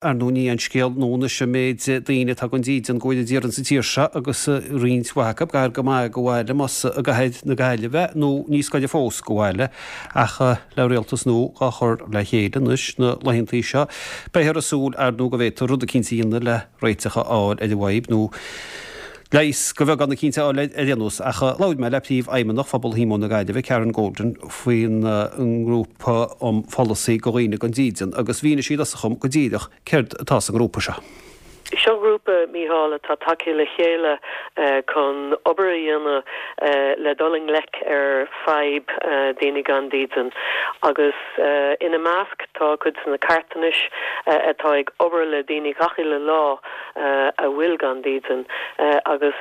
Ar ndóigh ní aon scéal nua anois an méid daoine atá gan dídean go bhfuil d'iarraidh sa tír seo agus roinnt mhaith acu gar go maith go bhaile más i gcathair na Gaillimhe nó níos gaire fós go bhaile ach le rialtas nua dhá chur le chéile anois na laethantaí seo beifear ag súil ar ndóigh go bhféadfar rud eicínt a dhéanamh le réiteach a fháil ar an bhfadhb nó leigheas de bheagán eicínt a fháil ar aon nós. Ach labhair mé le Príomhfheidhmeannach Phobal Shíomóin na Gaillimhe, Karen Golden, faoin ngrúpa um pholasaí do dhaoine gan dídean agus mhínigh sí i dtosach dhom go díreach céard atá sa ngrúpa seo. Seo grúpa, Mícheál, atá tagtha le chéile chun obair a dhéanamh le dul i ngleic ar fadhb daoine gan dídean agus ina measc tá cuid de na carthanais atá ag obair le daoine gach uile lá a bhfuil gan dídean agus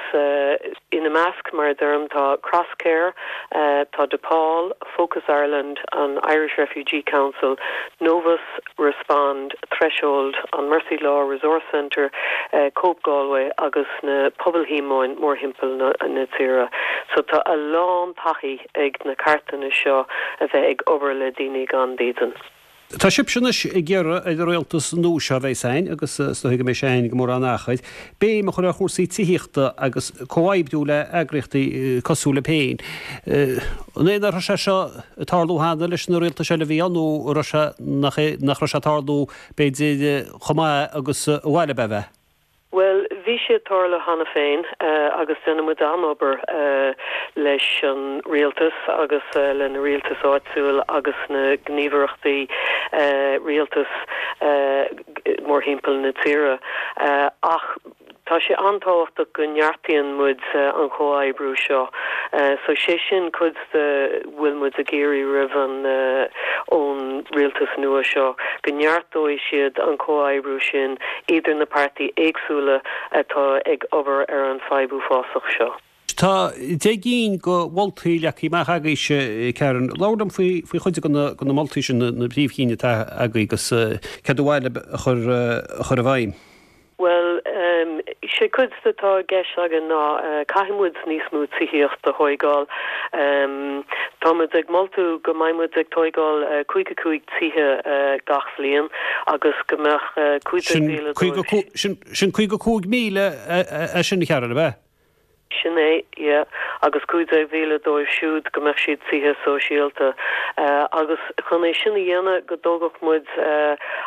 ina measc, mar a deirim, tá Crosscare, tá DePaul, Focus Ireland, an Irish Refugee Council, Novus, Respond, Threshold, an Mercy Law Resource Centre, Cope Galway agus na Pobail Shíomóin mórthimpeall na tíre. So tá a lán taithí ag na carthanais seo a bheith ag obair le daoine gan dídean. Tá sibhse anois ag iarraidh ar an rialtas nua seo a bheas againn, agus is dóigh go mbeidh sé againn gan mórán achair, béim a chur ar chúrsaí tithíochta agus comhoibriú le eagraíochtaí cosúil libh féin. An é nach raibh sé seo ag tarlú cheana leis na rialtais eile a bhí ann nó an raibh sé, nach é, nach raibh sé ag tarlú, b'fhéidir, chomh maith agus ba mhaith libh é a bheith? Bhuel, bhí sé ag tarlú cheana féin agus déanann muid an-obair leis an rialtas agus le na rialtais áitiúil agus na gníomhaireachtaí rialtais mórthimpeall na tíre. Ach tá sé an-tábhachtach go neartaíonn muid an chomhoibriú seo. So sé sin cuid de bhfuil muid ag iarraidh roimh an ón rialtas nua seo, go neartóidh siad an comhoibriú sin idir na páirtí éagsúla atá ag obair ar an fadhb uafásach seo. Tá 10 gcinn de mholtaí leagtha amach agaibhse, Karen. Labhair liom faoi chuid de na moltaí sin, na príomhchinn atá agaibh agus céard ba mhaith libh a chur i bhfeidhm. Bhuel, sé cuid de atá i gceist againn ná caithfidh muid níos mó tithíocht a thóigeáil. Tá muid ag moltú go mbeidh muid ag tóigeáil 55 tithe gach bhliain agus go mbeadh 15,000 dóibh. Sin 55,000 é sin, a Karen, ab ea? Sin é, yeah. Agus 15,000 dóibh siúd go mbeadh siad tithe sóisialta. Agus chun é sin a dhéanamh, go dtógfadh muid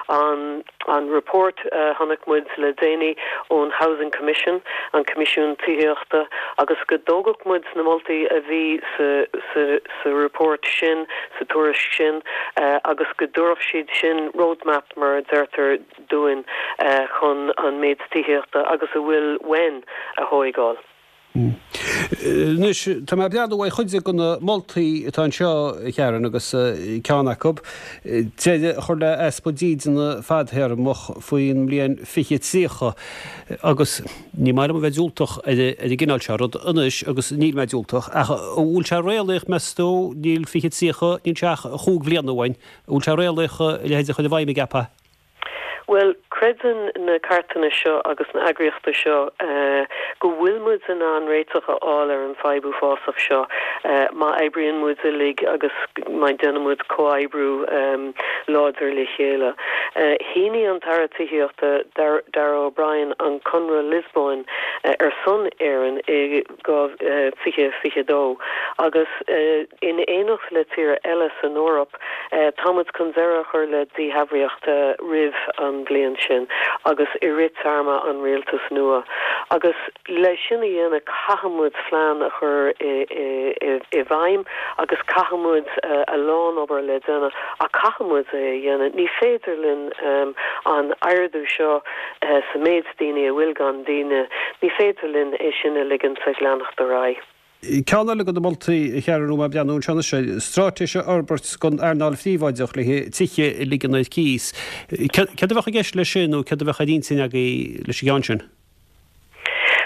an an report a chonaic muid le déanaí ón Housing Commission, an Coimisiún Tithíochta, agus go dtógfadh muid na moltaí a bhí sa sa sa report sin, sa tuairisc sin, agus go dtabharfadh siad sin roadmap, mar a deirtear, dúinn chun an méid tithíochta agus a bhfuil uainn a thóigeáil. Anois, tá mé ag breathnú ar chuid de na moltaí atá anseo, a Karen, agus ceann acu, deireadh a chur le easpa dídeana fadtéarmach faoin mbliain 2030. Agus ní maith liom a bheith diúltach ar an gcineál seo rud anois, agus níl mé diúltach, ach an bhfuil sé réalaíoch, meas tú, níl 2030, níl sé ach chúig bhliana uainn, an bhfuil sé réalaíoch a leithéid a chur i bhfeidhm, an gceapfá? Bhuel, creideann na carthanais seo agus na eagraíochtaí seo go bhfuil muid in ann réiteach a fháil ar an fadhb uafásach seo má oibríonn muid uilig agus má déanann muid comhoibriú láidir le chéile. Shínigh an tAire Tithíochta, Darragh O'Brien, an Conradh Liospóin ar son Éireann i 2022 agus in éineacht le tíortha eile san Eoraip, Tá muid chun deireadh a chur le dífhabhraíocht roimh an bhliain sin agus i rith téarma an rialtais nua. Agus le sin a dhéanamh caithfidh muid plean a chur i bhfeidhm agus caithfidh muid a lán obair le déanamh ach caithfidh muid é a dhéanamh. Ní féidir linn an ardú seo sa méid daoine a bhfuil gan dídean, ní féidir linn é sin a ligint ag leanacht ar aghaidh. Ceann eile de na moltaí, a Karen, atá mé ag breathnú anseo anois air, straitéis a fhorbairt don earnáil phríobháideach le haghaidh tithe a ligean ar cíos. Céard a bheadh i gceist leis sin nó céard a bheadh ar intinn agaibh leis an gceann sin?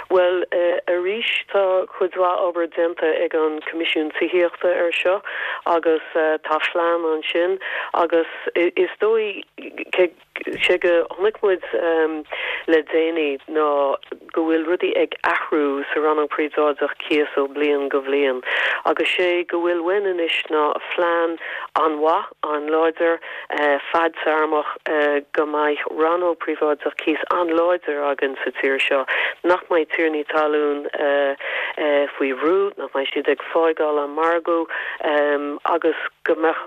Bhuel, arís, tá cuid mhaith obair déanta ag an Coimisiún Tithíochta ar seo agus tá phlean ansin agus is dóigh, sé go chonaic muid le déanaí ná go bhfuil rudaí ag athrú sa rannóg príobháideach cíos ó bliain go bhliain agus sé go bhfuil uainn anois ná phlean an-mhaith, an-láidir, fadtearmach go mbeidh rannóg príobháideach cíos an-láidir againn sa tír seo, nach mbeidh tiarnaí talún faoi bhrú, nach mbeidh siad ag fágáil an margadh agus go mbeadh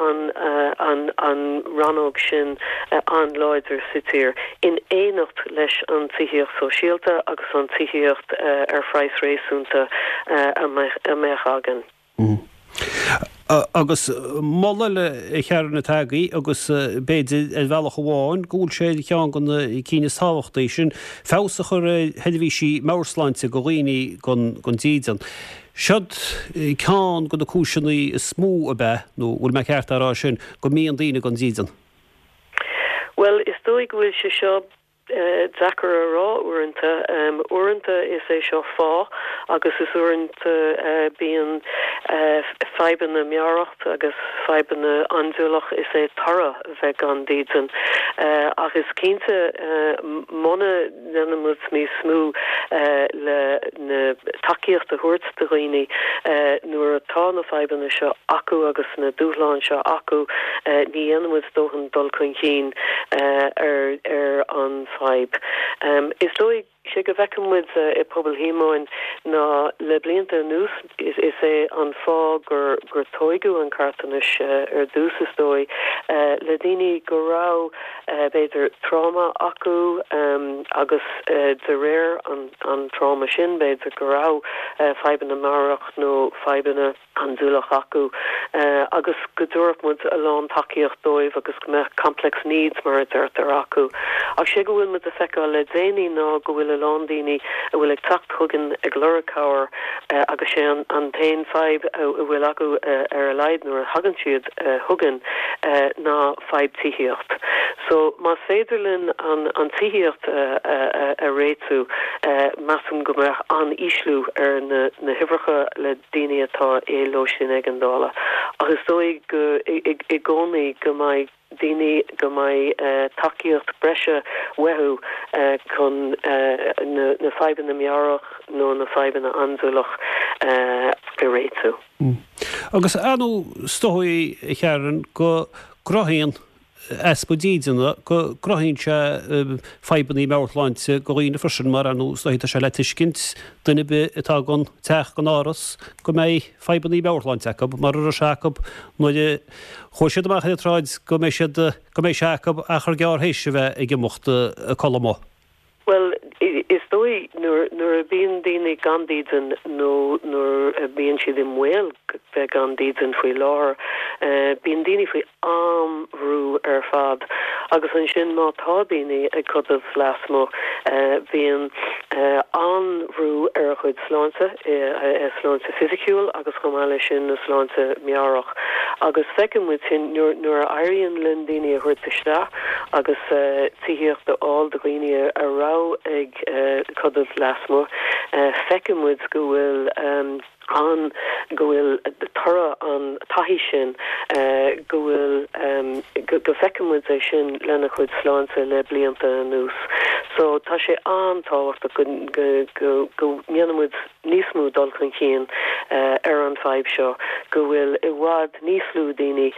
an an rannóg sin an-láidir sa tír, in éineacht leis an tithíocht sóisialta agus an tithíocht ar phraghas réasúnta a mbeadh againn. Agus moladh eile a Sharon atá agaibh agus b'fhéidir ar bhealach amháin go bhfuil sé ar cheann de na cinn is tábhachtaí, sin feabhas a chur ar sheirbhísí meabhairshláinte do dhaoine gan dídean. Siod ceann de na cúiseanna is mó ab ea, nó bhfuil mé ceart á rá sin, go mbíonn daoine gan dídean? Bhuel, is dóigh go bhfuil sé seo deacair a rá uaireanta. Uaireanta is é seo fáth agus is uaireanta bíonn fadhbanna meabhrach agus fadhbanna andúileach, is é toradh a bheith gan dídean. Ach is cinnte muna ndéanann muid níos mó le na tacaíocht a thabhairt do dhaoine nuair atá na fadhbanna seo acu agus na dúshláin seo acu, ní dhéanann muid dóthain dul chun cinn ar ar an bhfadhb. Is dóigh, sé go bhfeiceann muid i Pobal Shíomóin ná le blianta anuas is é an fáth gur gur tóigeadh an carthanais ar dtús is dóigh le daoine go raibh b'fhéidir tráma acu agus de réir an tráma sin b'fhéidir go raibh fadhbanna meabhrach nó fadhbanna andúileach acu agus go dtabharfadh muid a lán tacaíocht dóibh agus go mbeadh complex needs mar a deirtear acu. Ach sé go bhfuil muid a feiceáil le déanaí ná go bhfuil a lán daoine a bhfuil ag teacht chugainn ag lorg cabhair agus sé an t-aon fadhb a bhfuil acu ar a laghad nuair a thagann siad chugainn ná fadhb tithíocht. So más féidir linn an tithíocht a réitiú, measaim go mbeadh an-ísliú ar na huimhreacha le daoine atá i lóistín éigeandála. Ach is dóigh go i gcónaí go mbeidh daoine, go mbeidh tacaíocht breise uathu chun na fadhbanna meabhrach nó na fadhbanna andúileach a réitiú. Agus ar ndóigh is dóigh, a Sharon, go gcruthaíonn easpa dídine, go gcruthaíonn sé fadhbanna meabhairshláinte do dhaoine freisin mar ar ndóigh is dóigh tá sé le tuiscint duine ar bith atá gan teach gan áras go mbeidh fadhbanna meabhairshláinte acu mar a raibh sé acu nuair a chuaigh siad amach ar an tsráid go mbeidh siad go mbeidh sé acu achar gearr théis a bheith ag imeacht ag codladh amuigh. Bhuel, is dóigh nuair nuair a bíonn daoine gan dídean nó nuair a bíonn siad i mbaol bheith gan dídean faoi láthair, bíonn daoine faoi an-bhrú ar fad. Agus ansin má tá daoine ag codladh lasmuigh, bíonn an-bhrú ar a chuid sláinte, a sláinte fisiciúil agus chomh maith leis sin a sláinte meabhrach. Agus feiceann muid sin nuair a éiríonn linn daoine a thabhairt isteach agus tithíocht a fháil do dhaoine a raibh ag codladh lasmuigh, feiceann muid go bhfuil an, go bhfuil toradh an taithí sin, go bhfuil, go bhfeiceann muid é sin lena chuid sláinte le blianta anuas. So tá sé an-tábhachtach go, go, go ndéanann muid níos mó dul chun cinn ar an bhfadhb seo, go bhfuil i bhfad níos lú daoine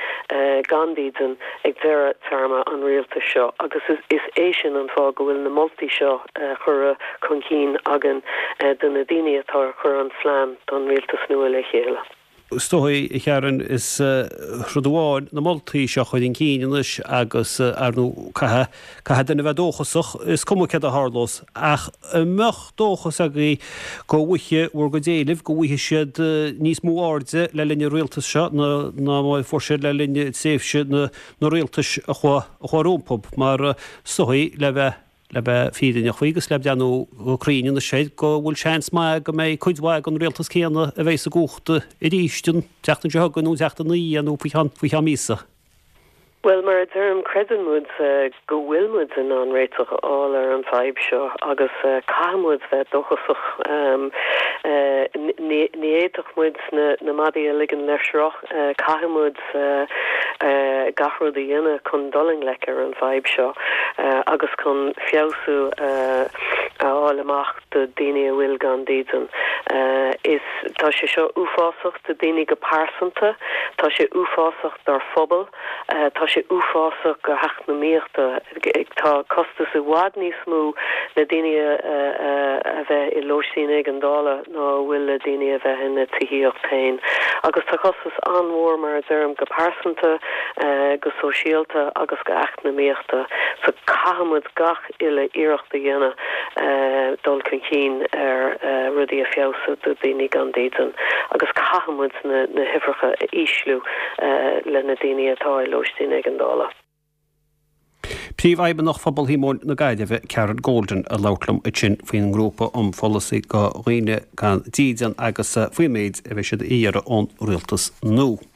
gan dídean ag deireadh téarma an rialtais seo agus is é sin an fáth go bhfuil na moltaí seo curtha chun cinn againn do na daoine atá ag cur an phlean don rialtas nua le chéile. Is dóigh, a Sharon, is rud amháin na moltaí seo a chur chun cinn anois agus, ar ndóigh, caithfidh, caithfidh duine a bheith dóchasach, is cuma céard a tharlós. Ach an mbeadh dóchas agaibh go bhfaighidh bhur gcuid éilimh, go bhfaighidh siad níos mó airde le linn an rialtais seo ná mar a fuair siad le linn tréimhse na, na rialtais a chuaigh, a chuaigh rompu? Mar is dóigh, le bheith. le bheith fírinneach faoi agus le breathnú go cruinn anois air, go bhfuil seans maith go mbeidh cuid mhaith den rialtas céanna a bheidh sa gcumhacht arís an tseachtain seo chugainn nó an tseachtain ina dhiaidh nó faoi cheann, faoi cheann míosa. Bhuel, mar a deirim, creideann muid go bhfuil muid in ann réiteach a fháil ar an bhfadhb seo agus caithfidh muid bheith dóchasach. Ní fhéadfadh muid na maidí a ligean le sruth. Caithfidh muid gach rud a dhéanamh chun dul i ngleic ar an bhfadhb seo agus chun feabhsú a fháil amach do daoine a bhfuil gan dídean. Is, tá sé seo uafásach do daoine go pearsanta, tá sé uafásach dár phobal. Tá sé uafásach go heacnamaíochta. Tá costas i bhfad níos mó le daoine a bheith i lóistín éigeandála ná a bhfuil le daoine a bheith ina tithíocht féin. Agus tá costas an-mhór, mar a deirim, go pearsanta, go sóisialta agus go eacnamaíochta. So caithfidh muid gach uile iarracht a dhéanamh dul chun cinn ar rudaí a feabhsú do daoine gan dídean agus caithfidh muid na huimhreacha a ísliú le na daoine atá i lóistín éigeandála. Príomhfheidhmeannach Phobal Shíomóin na Gaillimhe, Karen Golden, ag labhairt liom ansin faoin ngrúpa um pholasaí do dhaoine gan dídean agus faoin méid a bheidh siad a iarraidh ón rialtas nua.